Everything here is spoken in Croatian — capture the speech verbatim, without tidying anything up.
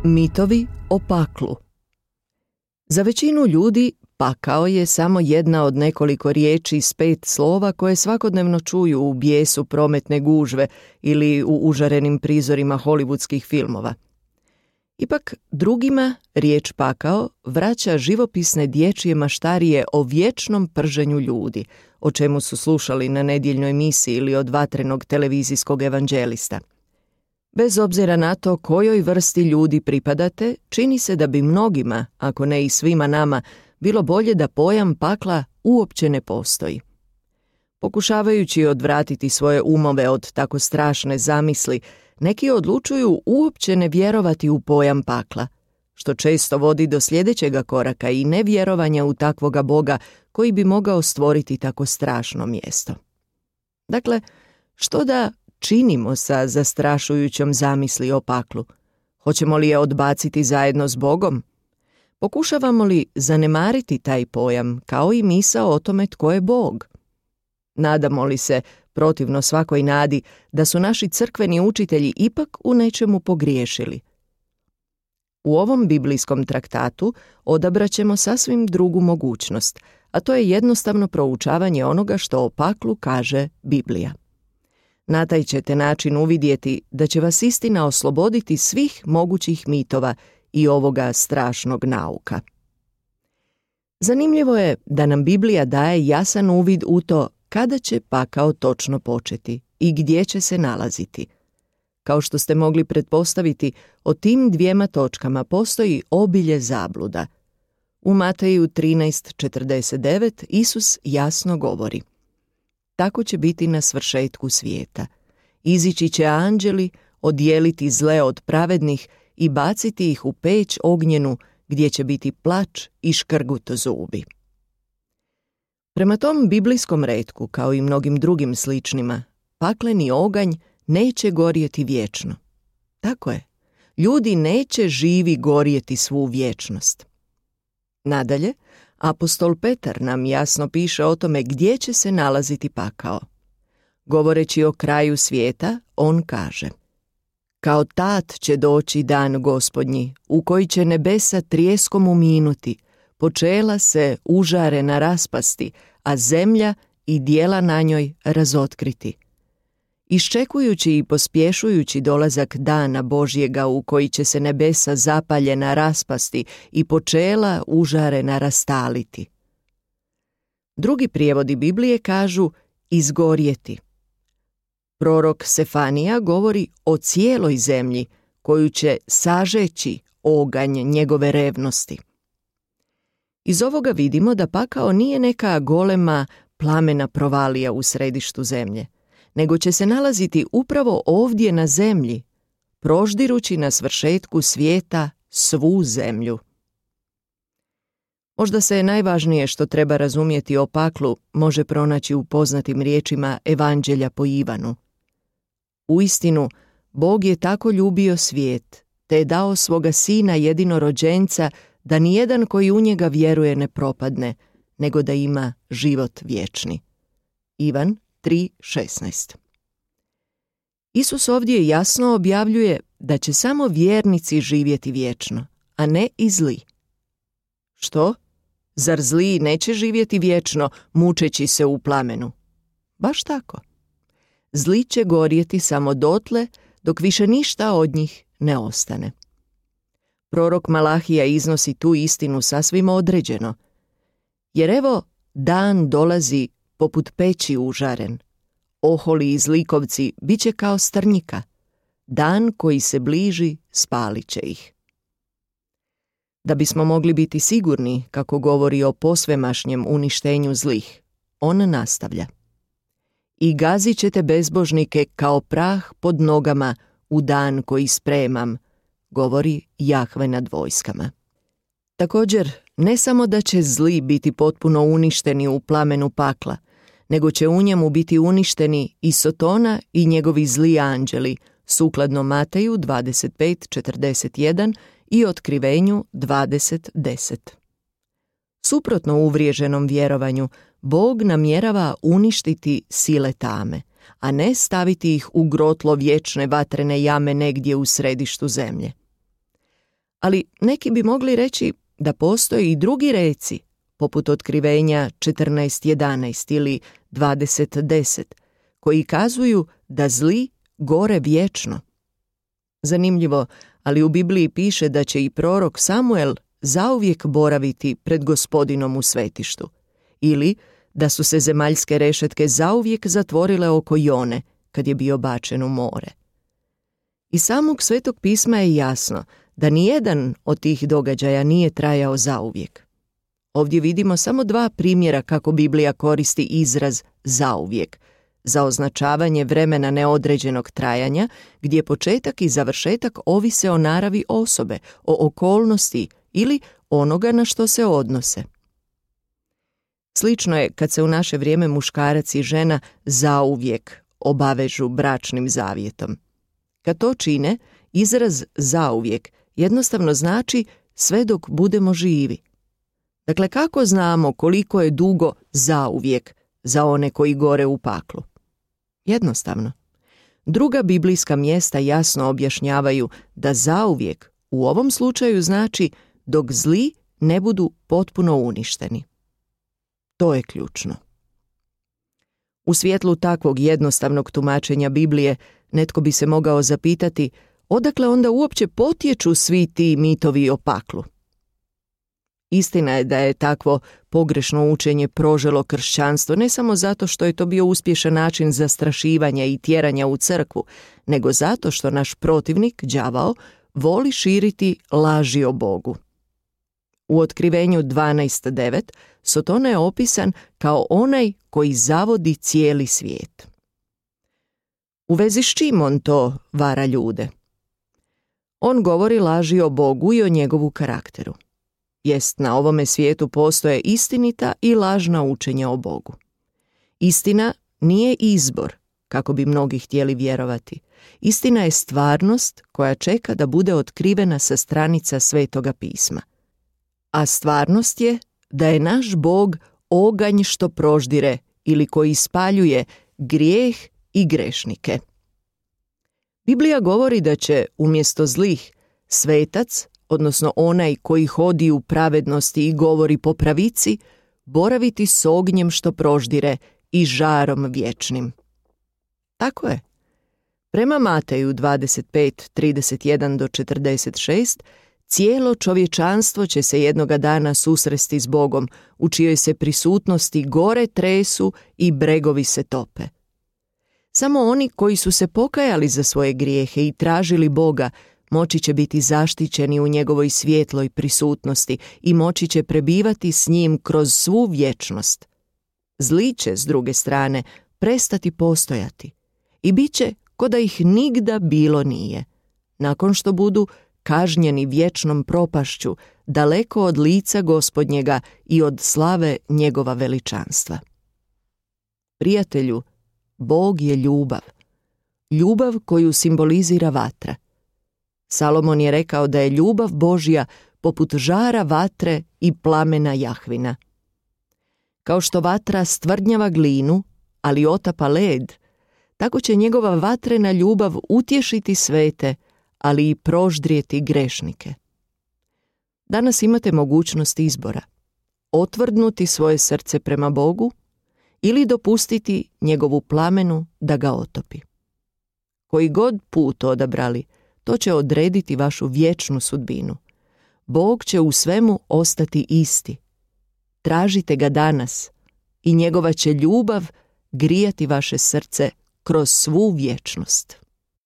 Mitovi o paklu. Za većinu ljudi pakao je samo jedna od nekoliko riječi s pet slova koje svakodnevno čuju u bijesu prometne gužve ili u užarenim prizorima hollywoodskih filmova. Ipak drugima riječ pakao vraća živopisne dječje maštarije o vječnom prženju ljudi, o čemu su slušali na nedjeljnoj misiji ili od vatrenog televizijskog evanđelista. Bez obzira na to kojoj vrsti ljudi pripadate, čini se da bi mnogima, ako ne i svima nama, bilo bolje da pojam pakla uopće ne postoji. Pokušavajući odvratiti svoje umove od tako strašne zamisli, neki odlučuju uopće ne vjerovati u pojam pakla, što često vodi do sljedećega koraka i nevjerovanja u takvoga Boga koji bi mogao stvoriti tako strašno mjesto. Dakle, što da činimo sa zastrašujućom zamisli o paklu? Hoćemo li je odbaciti zajedno s Bogom? Pokušavamo li zanemariti taj pojam kao i misao o tome tko je Bog? Nadamo li se, protivno svakoj nadi, da su naši crkveni učitelji ipak u nečemu pogriješili? U ovom biblijskom traktatu odabraćemo sasvim drugu mogućnost, a to je jednostavno proučavanje onoga što o paklu kaže Biblija. Na taj ćete način uvidjeti da će vas istina osloboditi svih mogućih mitova i ovoga strašnog nauka. Zanimljivo je da nam Biblija daje jasan uvid u to kada će pakao točno početi i gdje će se nalaziti. Kao što ste mogli pretpostaviti, o tim dvijema točkama postoji obilje zabluda. U Mateju trinaest četrdeset devet Isus jasno govori: tako će biti na svršetku svijeta. Izići će anđeli, odijeliti zle od pravednih i baciti ih u peć ognjenu gdje će biti plač i škrgut zubi. Prema tom biblijskom retku, kao i mnogim drugim sličnima, pakleni oganj neće gorjeti vječno. Tako je, ljudi neće živi gorjeti svu vječnost. Nadalje, apostol Petar nam jasno piše o tome gdje će se nalaziti pakao. Govoreći o kraju svijeta, on kaže: kao tat će doći dan Gospodnji, u koji će nebesa trijeskom uminuti, počela se užarena raspasti, a zemlja i dijela na njoj razotkriti. Iščekujući i pospješujući dolazak dana Božjega u koji će se nebesa zapaljena raspasti i počela užarena rastaliti. Drugi prijevodi Biblije kažu izgorjeti. Prorok Sefanija govori o cijeloj zemlji koju će sažeći oganj njegove revnosti. Iz ovoga vidimo da pakao nije neka golema plamena provalija u središtu zemlje, nego će se nalaziti upravo ovdje na zemlji, proždirući na svršetku svijeta svu zemlju. Možda se najvažnije što treba razumjeti o paklu može pronaći u poznatim riječima Evanđelja po Ivanu. Uistinu, Bog je tako ljubio svijet, te je dao svoga sina jedinorođenca, da nijedan koji u njega vjeruje ne propadne, nego da ima život vječni. Ivan tri šesnaest. Isus ovdje jasno objavljuje da će samo vjernici živjeti vječno, a ne i zli. Što? Zar zli neće živjeti vječno, mučeći se u plamenu? Baš tako. Zli će gorjeti samo dotle, dok više ništa od njih ne ostane. Prorok Malahija iznosi tu istinu sasvim određeno. Jer evo, dan dolazi poput peći užaren. Oholi i zlikovci bit će kao strnjika. Dan koji se bliži spalit će ih. Da bismo mogli biti sigurni kako govori o posvemašnjem uništenju zlih, on nastavlja: i gazit ćete bezbožnike kao prah pod nogama u dan koji spremam, govori Jahve nad vojskama. Također, ne samo da će zli biti potpuno uništeni u plamenu pakla, nego će u njemu biti uništeni i Sotona i njegovi zli anđeli, sukladno Mateju dvadeset pet četrdeset jedan i Otkrivenju dvadeset deset. Suprotno uvriježenom vjerovanju, Bog namjerava uništiti sile tame, a ne staviti ih u grotlo vječne vatrene jame negdje u središtu zemlje. Ali neki bi mogli reći da postoje i drugi reci, poput Otkrivenja četrnaest jedanaest ili dvadeset deset, koji kazuju da zli gore vječno. Zanimljivo, ali u Bibliji piše da će i prorok Samuel zauvijek boraviti pred Gospodinom u svetištu, ili da su se zemaljske rešetke zauvijek zatvorile oko Jone kad je bio bačen u more. Iz samog Svetog pisma je jasno da nijedan od tih događaja nije trajao zauvijek. Ovdje vidimo samo dva primjera kako Biblija koristi izraz zauvijek, za označavanje vremena neodređenog trajanja, gdje početak i završetak ovise o naravi osobe, o okolnosti ili onoga na što se odnose. Slično je kad se u naše vrijeme muškarac i žena zauvijek obavežu bračnim zavjetom. Kad to čine, izraz zauvijek jednostavno znači sve dok budemo živi. Dakle, kako znamo koliko je dugo zauvijek za one koji gore u paklu? Jednostavno. Druga biblijska mjesta jasno objašnjavaju da zauvijek u ovom slučaju znači dok zli ne budu potpuno uništeni. To je ključno. U svjetlu takvog jednostavnog tumačenja Biblije netko bi se mogao zapitati odakle onda uopće potječu svi ti mitovi o paklu. Istina je da je takvo pogrešno učenje proželo kršćanstvo ne samo zato što je to bio uspješan način zastrašivanja i tjeranja u crkvu, nego zato što naš protivnik, đavao, voli širiti laži o Bogu. U Otkrivenju dvanaest devet Sotona je opisan kao onaj koji zavodi cijeli svijet. U vezi s čim on to vara ljude? On govori laži o Bogu i o njegovu karakteru. Jest, na ovome svijetu postoje istinita i lažna učenja o Bogu. Istina nije izbor, kako bi mnogi htjeli vjerovati. Istina je stvarnost koja čeka da bude otkrivena sa stranica Svetoga pisma. A stvarnost je da je naš Bog oganj što proždire ili koji ispaljuje grijeh i grešnike. Biblija govori da će umjesto zlih svetac, odnosno onaj koji hodi u pravednosti i govori po pravici, boraviti s ognjem što proždire i žarom vječnim. Tako je. Prema Mateju dvadeset pet trideset jedan do četrdeset šest, cijelo čovječanstvo će se jednoga dana susresti s Bogom, u čijoj se prisutnosti gore tresu i bregovi se tope. Samo oni koji su se pokajali za svoje grijehe i tražili Boga, moći će biti zaštićeni u njegovoj svjetloj prisutnosti i moći će prebivati s njim kroz svu vječnost. Zli će, s druge strane, prestati postojati i bit će ko da ih nigda bilo nije, nakon što budu kažnjeni vječnom propašću, daleko od lica Gospodnjega i od slave njegova veličanstva. Prijatelju, Bog je ljubav. Ljubav koju simbolizira vatra. Salomon je rekao da je ljubav Božja poput žara vatre i plamena Jahvina. Kao što vatra stvrdnjava glinu, ali otapa led, tako će njegova vatrena ljubav utješiti svete, ali i proždrijeti grešnike. Danas imate mogućnost izbora. Otvrdnuti svoje srce prema Bogu ili dopustiti njegovu plamenu da ga otopi. Koji god put odabrali, to će odrediti vašu vječnu sudbinu. Bog će u svemu ostati isti. Tražite ga danas i njegova će ljubav grijati vaše srce kroz svu vječnost.